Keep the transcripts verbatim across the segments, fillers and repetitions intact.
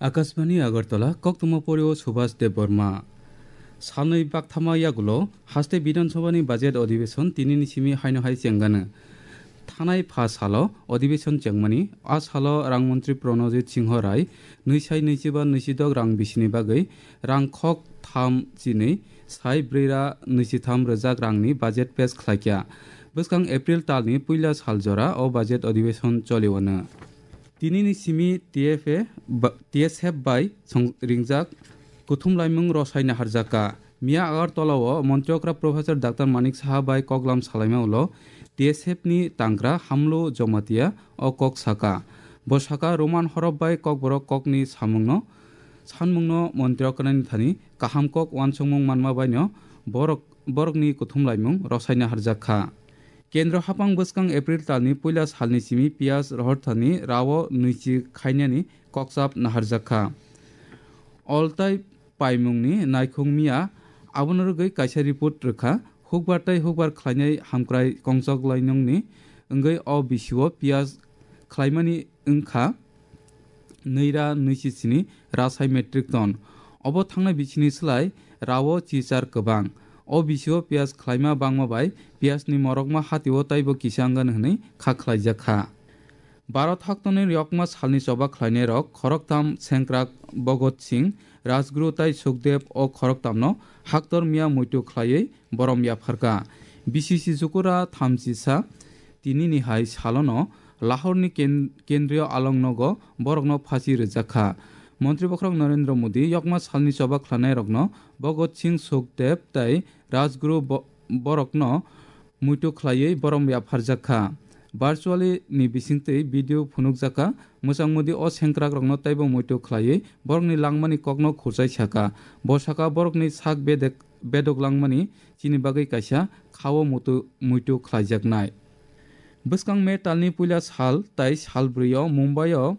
Akashbani Agartala, koktwma porio Subhas Debbarma. Salnwi bakthama yagulo haste Bidhan Sabhani budget adhibeshon tinini simi haino hai chengano. Thanai pha salo adhibeshon chengmani, a salo rang montri Pranojit Singho Rai nwi sai nwichiba nwichidok rang bisini bagwi rang khok tham chinwi sai brwi ra nwichitham rwjak rangni budget pass khlaikha. Bwskang April talni puila sal jora o budget adhibeshon choliwano. Tinini simi T F A ba-, T S F bai song ringjak kuthum laimung rosai naharjakha. Miya Agartala o Montri okra Professor Doctor Manik Saha bai koklam salaima ulo T S F ni tangra Hamlu Jomatia o kok saka. Bo saka Roman horop bai kokborok kokni samungno, sanmungno Montri okrani thani kaham kok uansukmung manma baino borok, borokni kuthum laimung rosai naharjakha. Kendro hapang bwskang April talni puila salni simi piyaj rohorthani rao nwichi khainani kokchap naharjakha. Oltai paimungni naikhung miya abono rwgwi kaisa report rwkha. Hukbar tei hukbar khlainai hamkrai kongchok lainungni wngwi o bisio piyaj khlaimani wngkha nwi ra nwichi sini rasai metric ton. Obo thangnai bisini slai rao chichar kwbang. O bisio piyaj khlaima bangma bai piyajni morokma hatio taibo kisa wngani hwnwi kha khlaijakha. Bharat haktorni yokma salni choba khlainairok khoroktham sengkrak Bhagat Singh, Rajguru tei Sukhdev o khoroktamno haktor miya muitu khlaiwi borom yapharkha. B C C Chukura thamchisa tinini hai salono Lahorni ken-, kendriyo alongnogo borokno phasi rwjakha. Montri bokhorok Narendra Modi yokma salni choba khlainairokno Bhagat Singh Sukhdev tei Rajguru bo-, borokno muitu khlaiwi borom yapharjakha. Virtually ni bisingtwi video phunukjakha. Mwchang Modi o sengkrakrokno teibo muitu khlaiwi borokni langmani kokno khurchai sakha. Bo sakha borokni sak bedek bedok langmani chini bagwi kaisa khao mutu-, muitu khlaijaknai. Bwskang May talni puila sal tai sal brwi o Mumbai o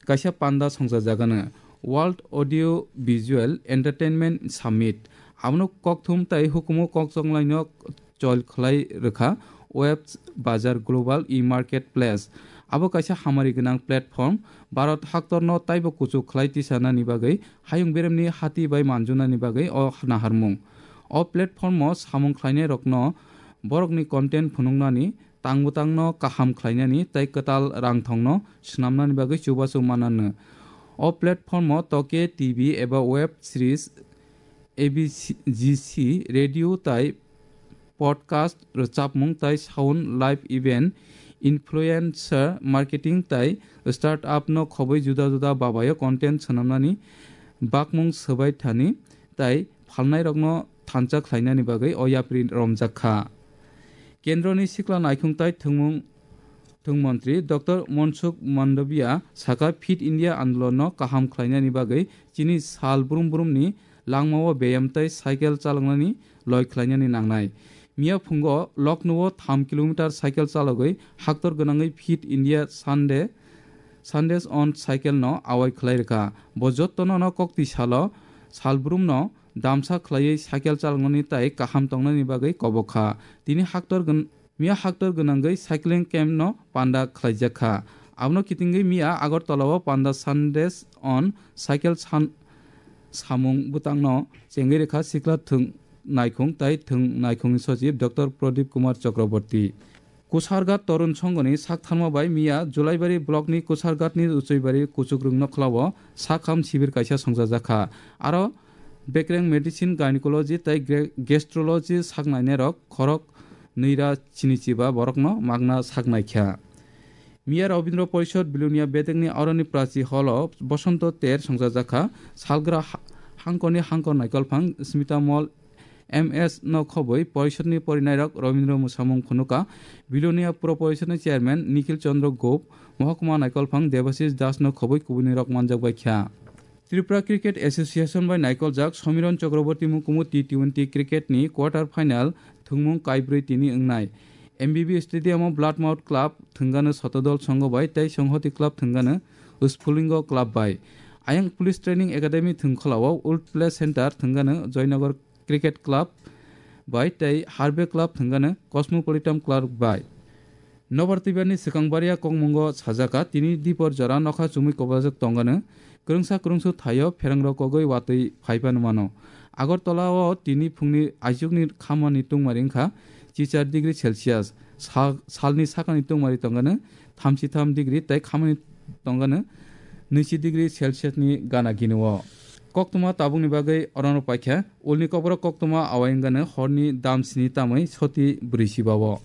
kaisa panda songchajagano World Audio Visual Entertainment Summit. Abono kokthum tai hukumu kokchonglaino chol khlai rwkha Web Bazar Global E-Marketplace. Abo kaisa hamari gwnang platform, Bharat haktorno taibo kuchuk khlai tisanani bagwi hayung beremni hati bai manjunani bagwi o naharmung. O platform-o samung khlainairokno borokni content phunuknani, tang bwtangno kaham khlainani tei kwtal rangthongno swnamnani bagwi chubachu mananw. O platform-o toke T V eba web series, A B G, radio tei podcast, rwchapmung tei sound, live event, influencer marketing tei startup no khobwi juda juda babayo content swnamnani bakmung swbai thani tei phalnairokno thansa khlainani bagwi o yapri romjak kha. Kendroni sikla naikhung tei thwngmung Thwng montri Doctor Mansukh Mandaviya sakha, Fit India andolonno kaham khlainani bagwi chini sal brum brumni langmao beyam tei cycle chaloknani loi khlainani nangnai. Miya phungo Lucknow-o tham kilometer cycle chalogwi haktor gwnangwi Fit India Sunday, Sundays on Cycle no awai khlai rwkha. Bo jottono no kokti salo sal brumno damsa khlaiwi cycle chaloknani tei kaham tongnani bagwi kobok kha. Tini haktor gwn-, Miya haktor gwnangwi cycling camp no panda khlaijak kha. Abono kitingwi miya Agartala o panda Sundays on Cycle san-, samung bwtangno chengwi rwkha sikla thwng naikhung tei thwng naikhungni sochib Doctor Pradip Kumar Chakraborty. Kusarghat Torun Songhoni saktharma bai miya Julaibari block ni Kusarghat ni Uchuibari Kuchukrwng Nokhlao sakham sibir kaisa songchajak kha. Aro bekreng medicine, gynecology tei gre-, gastrology saknainairok khorok nwi ra chini chiba borokno magna saknai kha. Miya Rabindra Porishod Bilonia bedekni aroni Prachi Hall o Bosonto ter songchajak kha. Salgra ha-, hangkorni hangkor naikolphang Smita Mall M S no khobwi Porishodni porinairok Rabindra mwsamung phunuka. Bilonia Puro Porishodni chairman Nikhil Chandra Gop, Mohokuma naikolphang Debashish Das no khobwi kubunirok manjak bai kha. Tripura Cricket Association bai naikoljak Somiron Chakraborty mukumu T twenty cricket ni quarter final thwngmung kaibrwi tini wngnai. M B B Stadium o Bloodmouth Club thwngano Sotodol Songho bai tei Songhoti Club thwngano Sphulingo Club bai. Ayang Police Training Academy thwngkhwlao Old Play Center thwngano Joynagar Cricket Club bai tei Harvey Club thwngano Cosmopolitan Club bai. Nobar twibani swkang baria kokmungo sajaka, tini dipor jora nokha chumui kobajak tongano, kwrwngsa kwrwngsu thaio pherangrok kogwi watwi phaiphano mano. Agartala o tini phungni aichukni khamani tungmari wngkha chichar degree Celsius, sa-, salni sakani tungmari tongano thamchi tham degree tei khamani tongano nwichi degree Celsius ni gana gini o. Koktwma tabukni bagwi orono paikha, ulni kokborok koktwma awai wngano horni dam sini tamwi soti brwi siba o.